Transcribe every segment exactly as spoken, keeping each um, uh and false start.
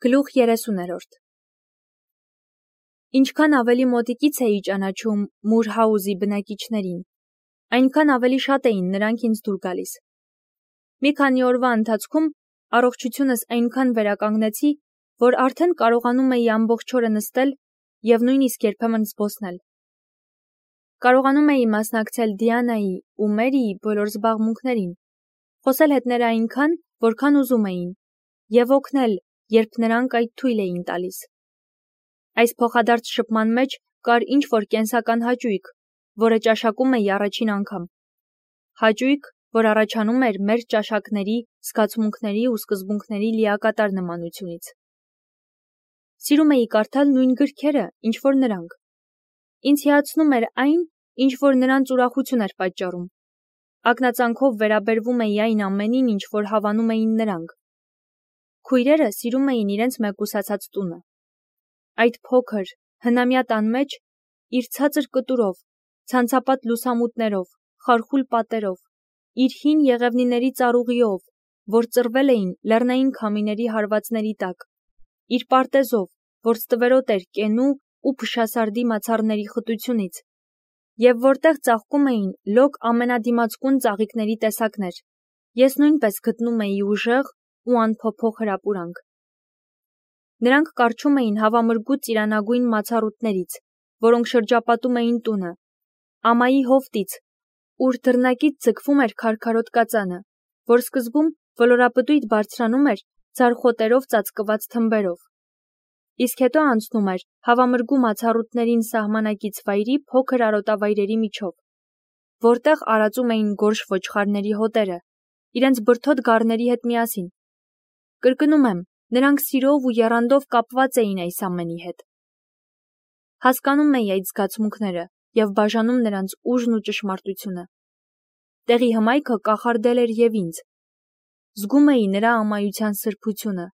Գլուխ երեսուներորդ Ինչքան ավելի մոտիկից էի ճանաչում Մուրհաուզի բնակիչներին, այնքան ավելի շատ էին նրանք ինձ դուր գալիս։ Մի քանի օրվա ընթացքում առողջությունս այնքան վերականգնեցի, որ արդեն կարողանում էի ամբողջ օրը նստել և նույնիսկ երբեմն զբոսնել։ Կարողանում էի մասնակցել Դիանայի ու Մերիի բոլոր զբաղմունքներին, խոսել հետները այնքան, որքան ուզում էին, և օգնել, երբ նրանք այդ թույլ էին տալիս։ Այս փոխադարձ շփման մեջ կար ինչ-որ կենսական հաճույք, որը ճաշակում էի առաջին անգամ։ Հաճույք, որ առաջանում էր մեր ճաշակների, զգացմունքների ու սկզբունքների լիակատար նմանությունից։ Սիրում էի կարդալ նույն գրքերը, ինչ որ նրանք։ Ինձ հիացնում էր այն, ինչ որ նրանց ուրախություն էր պատճառում։ Ակնածանքով վերաբերվում էի այն ամենին, ինչ որ հավանում էին նրանք։ Քույրերը սիրում էին իրենց մեկուսացած տունը։ Այդ փոքր, հնամյա տան մեջ, իր ցածր կտուրով, ցանցապատ լուսամուտներով, խարխուլ պատերով, իր հին եղևնիների ծառուղիով, որ ծռվել էին լեռնային քամիների հարվածների տակ, իր պարտեզով, որ ստվերոտ էր կենու ու փշասարդի մացառների խտությունից, և որտեղ ծաղկում էին լոկ ամենադիմացկուն ծաղիկների տեսակներ, ես նույնպես գտնում էի ուժեղ ու անփոփոխ հրապուրանք։ Նրանք կառչում էին հավամրգու ծիրանագույն մացառուտներից, որոնք շրջապատում էին տունը, ամայի հովտից, ուր դռնակից ձգվում էր քարքարոտ կածանը, որ սկզբում ոլորապտույտ բարձրանում էր ձարխոտերով ծածկված թմբերով, իսկ հետո անցնում էր հավամրգու մացառուտներին սահմանակից վայրի փոքր արոտավայրերի միջով, որտեղ արածում էին գորշ ոչխարների հոտերը, իրենց բրդոտ գառների հետ միասին։ Կրկնում եմ, նրանք սիրով ու եռանդով կապված էին այս ամենի հետ։ Հասկանում էի այդ զգացմունքները և բաժանում նրանց ուժն ու ճշմարտությունը։ Տեղի հմայքը կախարդել էր և ինձ։ Զգում էի նրա ամայության սրբությունը։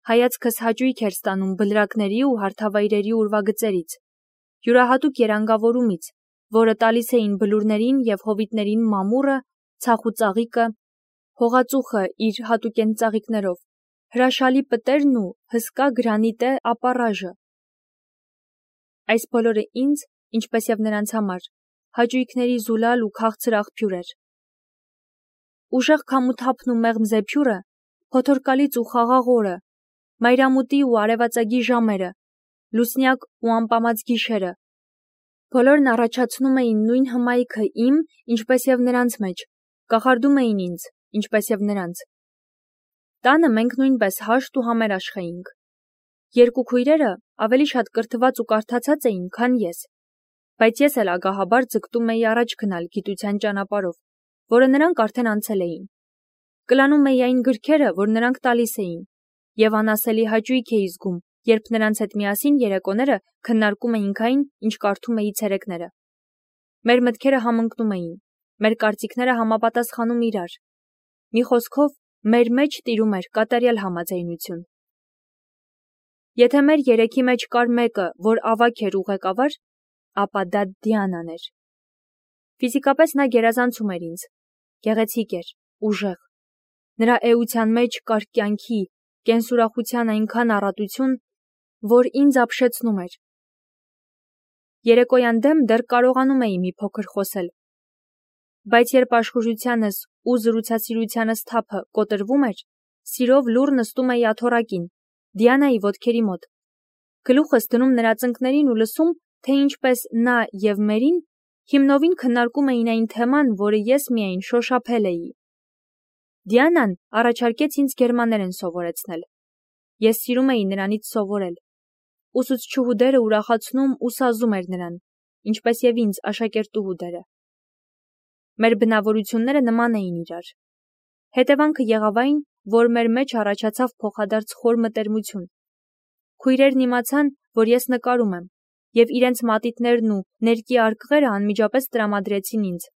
Հայացքս հաճույք էր ստանում բլրակների ու հարթավայրերի ուրվագծերից, յուրահատուկ երանգավորումից, որը տալիս էին բլուրներին և հովիտներին մամուռը, ցախուծաղիկը, հողածուխը իր հատուկենտ ծաղիկներով, հրաշալի պտերն ու հսկա գրանիտե ապառաժը։ Այս բոլորը ինձ, ինչպես և նրանց համար, հաճույքների զուլալ ու քաղցր աղբյուր էր։ Ուժեղ քամութափն ու մեղմ զեփյուռը, փոթորկալից ու խաղաղ օրը, մայրամուտի ու արևածագի ժամերը, լուսնյակ ու ամպամած գիշերը, բոլորն առաջացնում էին նույն հմայքը իմ, ինչպես և նրանց մեջ, կախարդում էին ինձ, ինչպես և նրանց։ Տանը մենք նույնպես հաշտ ու համերաշխ էինք։ Երկու քույրերը ավելի շատ կրթված ու կարդացած էին, քան ես, բայց ես էլ ագահաբար ձգտում էի առաջ գնալ գիտության ճանապարհով, որը նրանք արդեն անցել էին։ Կլանում էի այն գրքերը, որ նրանք տալիս էին, և անասելի հաճույք էի զգում, երբ նրանց հետ միասին երեկոները քննարկում էինք այն, ինչ կարդում էի ցերեկները։ Մեր մտքերը համընկնում էին, մեր կարծիքները համապատասխանում իրար։ Մի խոսքով, մեր մեջ տիրում էր կատարյալ համաձայնություն։ Եթե մեր երեքի մեջ կար մեկը, որ ավագ էր ու ղեկավար, ապա դա Դիանան էր։ Ֆիզիկապես նա գերազանցում էր ինձ, գեղեցիկ էր, ուժեղ։ Նրա էության մեջ կար կյանքի, կենսուրախության այնքան առատություն, որ ինձ ապշեցնում էր։ Երեկոյան դեմ դեռ կարողանում էի մի փոքր խոսել, բայց երբ աշխուժությանս ու զրուցասիրությանս թափը կոտրվում էր, սիրով լուռ նստում էի աթոռակին, Դիանայի ոտքերի մոտ, գլուխս դնում նրա ծնկներին ու լսում, թե ինչպես նա և Մերին հիմնովին քննարկում էին այն թեման, որը ես միայն շոշափել էի։ Դիանան առաջարկեց ինձ գերմաներեն սովորեցնել։ Ես սիրում էի նրանից սովորել։ Ուսուցչուհու դերը ուրախացնում ու սազում էր նրան, ինչպես և ինձ աշակերտուհու դերը։ Մեր բնավորությունները նման էին իրար։ Հետևանքը եղավ այն, որ մեր մեջ առաջացավ փոխադարձ խոր մտերմություն։ Քույրերն իմացան, որ ես նկարում եմ, և իրենց մատիտներն ու ներկի արկղերը անմիջապես տրամադրեցին ինձ։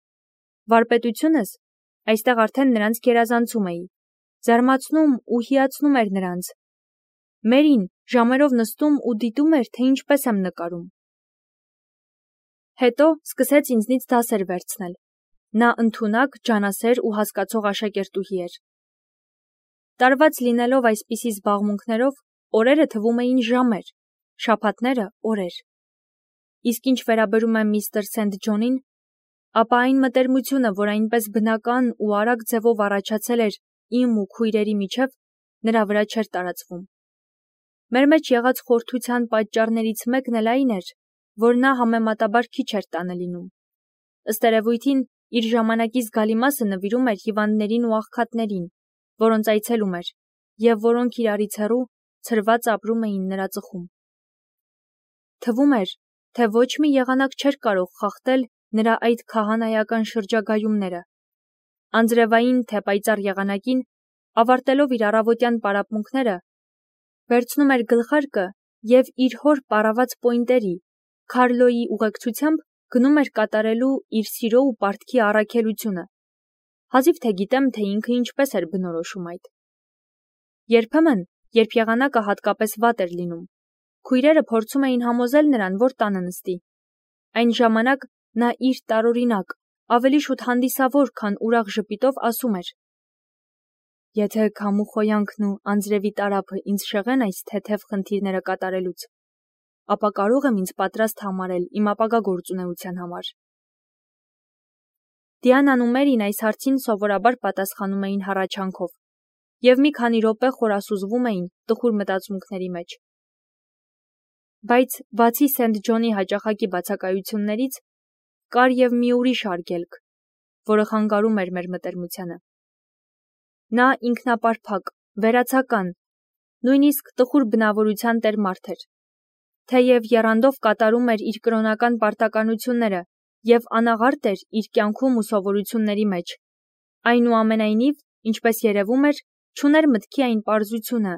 Վարպետությունս, այստեղ արդեն նրանց գերազանցում էի, զարմացնում ու հիացնում էր նրանց։ Մերին ժամերով նստում ու դիտում էր, թե ինչպես եմ նկարում։ Հետո սկսեց ինձնից դասեր վերցնել։ Նա ընդունակ, ջանասեր ու հասկացող աշակերտուհի էր։ Տարված լինելով այսպիսի զբաղմունքներով, օրերը թվում էին ժամեր, շաբաթները օրեր։ Իսկ ինչ վերաբերում է միստր Սենթ Ջոնին, ապա այն մտերմությունը, որ այնպես բնական ու արագ ձևով առաջացել էր իմ ու քույրերի միջև, նրա վրա չէր տարածվում։ Մեր մեջ եղած խորթության պատճառներից մեկն էլ այն էր, որ նա համեմատաբար քիչ էր տանը լինում։ Ըստ երևույթին, իր ժամանակի զգալի մասը նվիրում էր հիվանդներին ու աղքատներին, որոնց այցելում էր, և որոնք իրարից հեռու ցրված ապրում էին նրա ծխում։ Թվում էր, թե ոչ մի եղանակ չէր կարող խախտել նրա այդ քահանայական շրջագայումները։ Անձրևային թե պայծառ եղանակին, ավարտելով իր առավոտյան պարապմունքները, վերցնում էր գլխարկը և իր հոր պարաված պոինտերի՝ Քարլոյի ուղեկցությամբ գնում էր կատարելու իր սիրո ու պարտքի առաքելությունը։ Հազիվ թե գիտեմ, թե ինքը ինչպես էր բնորոշում այդ։ Երբեմն, երբ եղանակը հատկապես վատ էր լինում, քույրերը փորձում էին համոզել նրան, որ տանը նստի։ Այն ժամանակ նա իր տարօրինակ, ավելի շուտ հանդիսավոր, քան ուրախ ժպիտով ասում էր. «Եթե քամու խոյանքն ու անձրևի տարափը ինձ շեղեն այս թեթև խնդիրները կատարելուց, ապա կարող եմ ինձ պատրաստ համարել իմ ապագա գործունեության համար»։ Դիանան ու Մերին այս հարցին սովորաբար պատասխանում էին հառաչանքով, և մի քանի րոպե խորասուզվում էին տխուր մտածմունքների մեջ։ Բայց բացի Սենթ Ջոնի հաճախակի բացակայություններից, կար և մի ուրիշ արգելք, որը խանգարում էր մեր մտերմությանը։ Նա ինքնապարփակ, վերացական, նույնիսկ տխուր բնավորության տեր մարդ էր։ Թեև եռանդով կատարում էր իր կրոնական պարտականությունները և անաղարտ էր իր կյանքում ու սովորությունների մեջ, այնուամենայնիվ, ինչպես երևում էր, չուներ մտքի այն պարզությունը,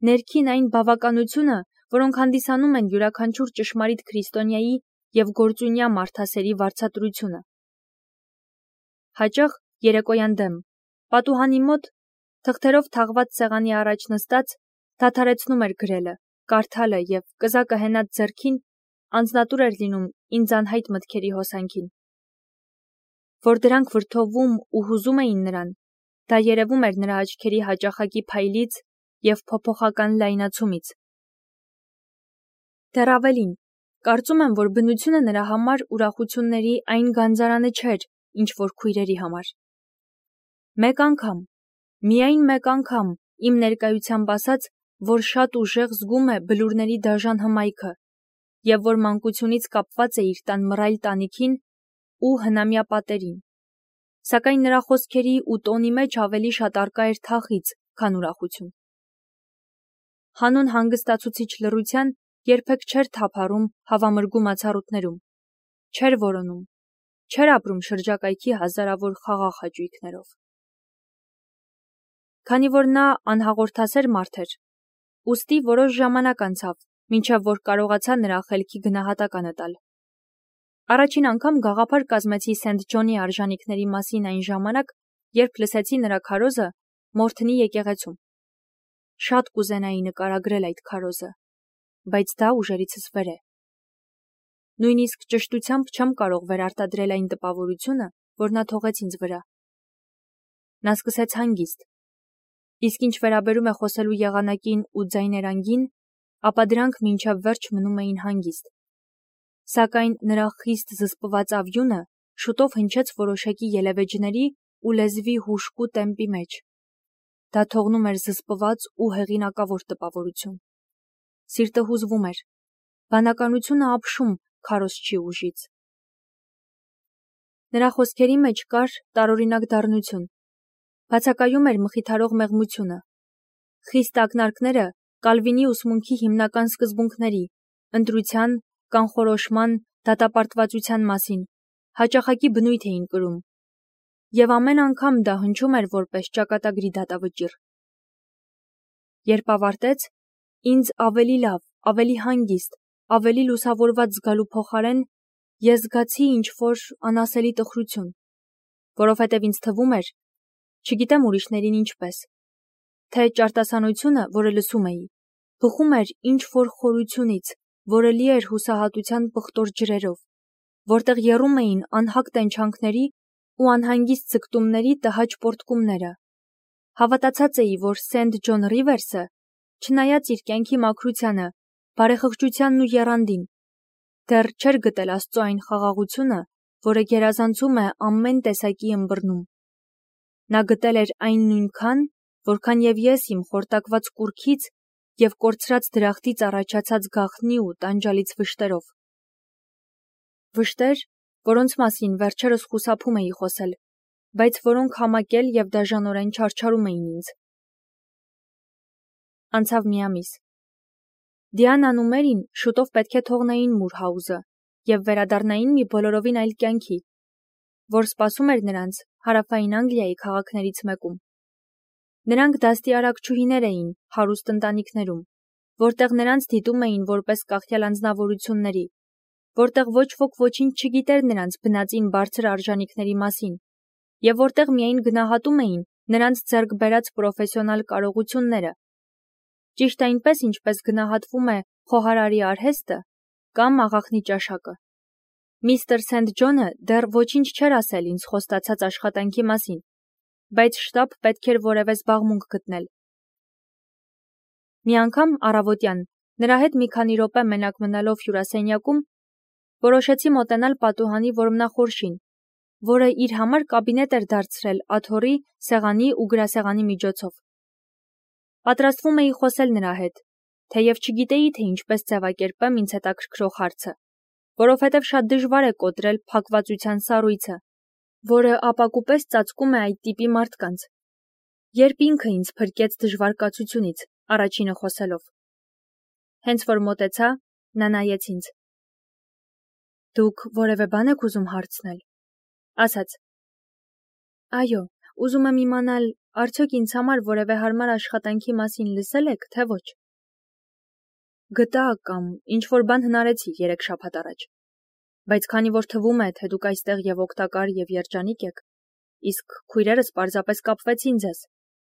ներքին այն բավականությունը, որոնք հանդիսանում են յուրաքանչյուր ճշմարիտ քրիստոնյայի և գործունյա մարդասերի վարձատրությունը։ Հաճախ երեկոյան դեմ, պատուհանի մոտ, թղթերով թաղված սեղանի առաջ նստած, դադարեցնում էր գրելը, կարդալը և կզակը հենած ձեռքին անձնատուր էր լինում ինձ անհայտ մտքերի հոսանքին։ Որ դրանք վրդովում ու հուզում էին նրան, դա երևում էր նրա աչքերի հաճախակի փայլից և փոփոխական լայնացումից։ Դեռ ավելին, կարծում եմ, որ բնությունը նրա համար ուրախությունների այն գանձարանը չէր, ինչ որ քույրերի համար։ Մեկ անգամ, միայն մեկ անգամ, իմ ներկայությամբ ասաց, որ շատ ուժեղ զգում է բլուրների դաժան հմայքը և որ մանկությունից կապված է իր տան մռայլ տանիքին ու հնամյա պատերին, սակայն նրա խոսքերի ու տոնի մեջ ավելի շատ առկա էր թախիծ, քան ուրախություն։ Հանուն հանգստացուցիչ լռության երբեք չէր թափառում հավամրգում ացառուտներում, չէր որոնում, չէր ապրում շրջակայքի հազարավոր խաղաղ հաճույքներով։ Քանի որ նա անհաղորդասեր մարդ էր, ուստի որոշ ժամանակ անցավ, մինչև որ կարողացա նրա խելքի գնահատականը տալ։ Առաջին անգամ գաղափար կազմեցի Սենթ Ջոնի արժանիքների մասին այն ժամանակ, երբ լսեցի նրա քարոզը Մորթնի եկեղեցում։ Շատ կուզենայի նկարագրել այդ քարոզը, բայց դա ուժերիցս վեր է։ Նույնիսկ ճշտությամբ չեմ կարող վերարտադրել այն տպավորությունը, որ նա թողեց ինձ վրա։ Նա սկսեց հանգիստ, իսկ ինչ վերաբերում է խոսելու եղանակին ու ձայներանգին, ապա դրանք մինչև վերջ մնում էին հանգիստ։ Սակայն նրա խիստ զսպված ավյունը շուտով հնչեց որոշակի ելևէջների ու լեզվի հուժկու տեմպի մեջ։ Դա թողնում էր զսպված ու հեղինակավոր տպավորություն։ Սիրտը հուզվում էր, բանականությունը ապշում քարոզչի ուժից։ Նրա խոսքերի մեջ կար տարօրինակ դառնություն, բացակայում էր մխիթարող մեղմությունը։ Խիստ ակնարկները Կալվինի ուսմունքի հիմնական սկզբունքների՝ ընտրության, կանխորոշման, դատապարտվածության մասին, հաճախակի բնույթ էին կրում, և ամեն անգամ դա հնչում էր որպես ճակատագրի դատավճիռ։ Երբ ավարտեց, ինձ ավելի լավ, ավելի հանգիստ, ավելի լուսավորված զգալու փոխարեն, ես զգացի ինչ-որ անասելի տխրություն, որովհետև ինձ թվում էր, չգիտեմ ուրիշներին ինչպես, թե ճարտասանությունը, որը լսում էի, բխում էր ինչ-որ խորությունից, որը լի էր հուսահատության պղտոր ջրերով, որտեղ եռում էին անհագ տենչանքների ու անհանգիստ ձգտումների տհաճ պոռթկումները։ Հավատացած էի, որ Սենթ Ջոն Ռիվերսը չնայած իր կյանքի մաքրությանը, բարեխղճությանն ու եռանդին, դեռ չէր գտել Աստծո այն խաղաղությունը, որը գերազանցում է ամեն տեսակի ըմբռնում։ Նա գտել էր այն նույնքան, որքան եւ ես իմ խորտակված կուռքից եւ կորցրած դրախտից առաջացած գաղտնի ու տանջալից վշտերով։ Վշտեր, որոնց մասին վերջերս խուսափում էի խոսել, բայց որոնք համակել եւ դաժանորեն չարչարում էին ինձ։ Անցավ մի ամիս։ Դիանան ու Մերին շուտով պետք է թողնեին Մուրհաուզը եւ վերադառնային մի բոլորովին այլ կյանքի, որ սպասում էր նրանց հարավային Անգլիայի քաղաքներից մեկում։ Նրանք դաստիարակչուհիներ էին հարուստ ընտանիքներում, որտեղ նրանց դիտում էին որպես կախյալ անձնավորությունների, որտեղ ոչ ոք ոչինչ չգիտեր նրանց բնածին բարձր արժանինքների մասին, եւ որտեղ միայն գնահատում էին նրանց ձեռք բերած պրոֆեսիոնալ կարողությունները, ճիշտ այնպես, ինչպես գնահատվում է խոհարարի արհեստը կամ աղախնի ճաշակը։ Միստր Սենթ Ջոնը դեռ ոչինչ չէր ասել ինձ խոստացած աշխատանքի մասին, բայց շտապ պետք էր որևէ զբաղմունք գտնել։ Մի անգամ առավոտյան, նրա հետ մի քանի րոպե մենակ մնալով հյուրասենյակում, որոշեցի մոտենալ պատուհանի որմնախորշին, որը իր համար կաբինետ էր դարձրել աթոռի, սեղանի ու գրասեղանի միջոցով։ Պատրաստվում էի խոսել նրա հետ, թեև չգիտեի, թե ինչպես ձևակերպեմ ինձ հետաքրքրող հարցը, որովհետև շատ դժվար է կոտրել փակվածության սառույցը, որը ապակուպես ծածկում է այդ տիպի մարդկանց, երբ ինքը ինձ փրկեց դժվար կացությունից, առաջինը խոսելով։ Հենց որ մոտեցա, նա նայեց ինձ։ Դուք որևէ բան եք ուզում հարցնել, ասաց։ Այո, ուզում եմ իմանալ, արդյոք ինձ համար որևէ հարմար աշխատանքի մասին լսել եք, թե ոչ։ Գտա կամ ինչ-որ բան հնարեցի երեք շաբաթ առաջ, բայց քանի որ թվում է, թե դուք այստեղ եւ օգտակար եւ երջանիկ եք, իսկ քույրերս պարզապես կապվեցին ձեզ,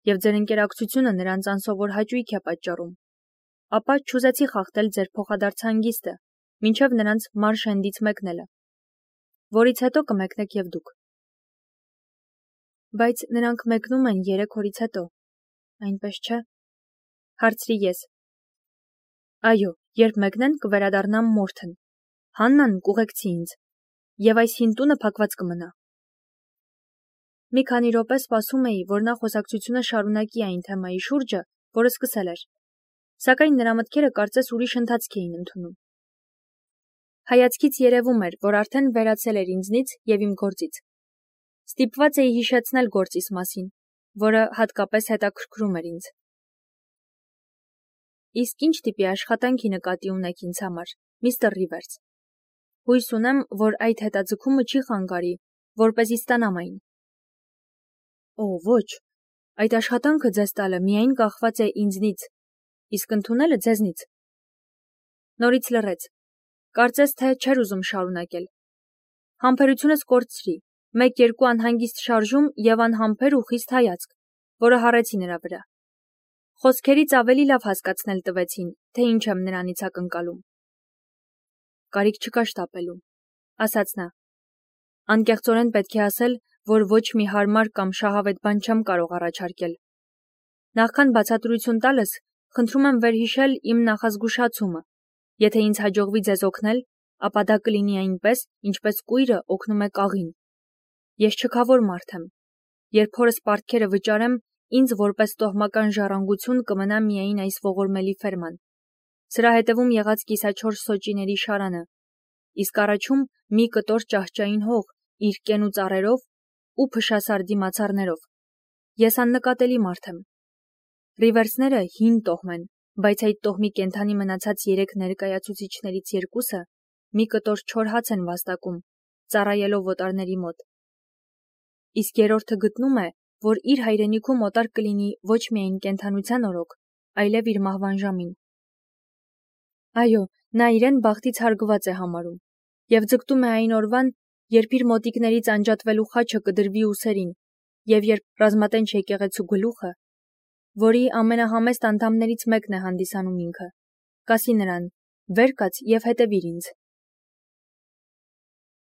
եւ ձեր ընկերակցությունը նրանց անսովոր հաճույք է պատճառում, ապա չուզեցի խախտել ձեր փոխադարձ հանգիստը, մինչև նրանց Մարշենդից մեկնելը, որից հետո կմեկնեք եւ դուք։ Բայց նրանք մեկնում են երեք օրից հետո, այնպես չէ։ Հարցրի ես։ Այո, երբ մեկնեն, կվերադառնամ Մորթեն, Հաննան կուղեկցի ինձ, եւ այս հին տունը փակված կմնա։ Մի քանի րոպե սպասում էի, որ նա խոսակցությունը շարունակի այն թեմայի շուրջը, որը սկսել էր, սակայն նրա մտքերը կարծես ուրիշ ընթացք էին ընդունում։ Հայացքից երևում էր, որ արդեն վերացել էր ինձնից եւ իմ գործից։ Ստիպված էի հիշեցնել գործիս մասին, որը հատկապես հետաքրքրում էր ինձ։ Իսկ ինչ տիպի աշխատանքի նկատի ունեք ինձ համար, միստր Ռիվերս։ Հույս ունեմ, որ այդ հետաձգումը չի խանգարի, որպեսզի ստանամ այն։ Օ, ոչ, այդ աշխատանքը ձեզ տալը միայն կախված է ինձնից, իսկ ընդունելը ձեզնից։ Նորից լռեց։ Կարծես թե չէր ուզում շարունակել։ Համբերությունս կորցրի, մեկ-երկու անհանգիստ շարժում եւ անհամբեր ու խիստ հայացք, որը հառեցի նրա վրա։ Խոսքերից ավելի լավ հասկացնել տվեցին, թե ինչ եմ նրանից ակնկալում։ Կարիք չկա շտապելու, ասաց նա։ Անկեղծորեն պետք է ասել, որ ոչ մի հարմար կամ շահավետ բան չեմ կարող առաջարկել։ Նախքան բացատրություն տալս, խնդրում եմ վերհիշել իմ նախազգուշացումը։ Եթե ինձ հաջողվի ձեզ օգնել, ապա դա կլինի այնպես, ինչպես կույրը օգնում է կաղին։ Ես չքավոր մարդ եմ։ Երբ հորս պարտքերը վճարեմ, ինձ որպես տոհմական ժառանգություն կմնա միայն այս ողորմելի ֆերման։ Սրա հետևում եղած կիսաչորս սոճիների շարանը, իսկ առաջում մի կտոր ճահճային հող իր կեն ու ծառերով ու փշասարդի մացառներով։ Ես աննկատելի մարդ եմ։ Ռիվերսները հին տոհմ են, բայց այդ տոհմի կենդանի մնացած երեք ներկայացուցիչներից երկուսը մի կտոր չոր հաց են վաստակում, ծառայելով օտարների մոտ։ Իսկ երրորդը գտնում է, որ իր հայրենիքում օտար կլինի ոչ միայն կենդանության օրոք, այլև իր մահվան ժամին։ Այո, նա իրեն բախտից հարգված է համարում եւ ձգտում է այն օրվան, երբ իր մոտիկներից անջատվելու խաչը կդրվի ուսերին եւ երբ ռազմատենչ եկեղեցու գլուխը, որի ամենահամեստ անդամներից մեկն է հանդիսանում ինքը, կասի նրան. «Վեր կաց եւ հետևիր ինձ»։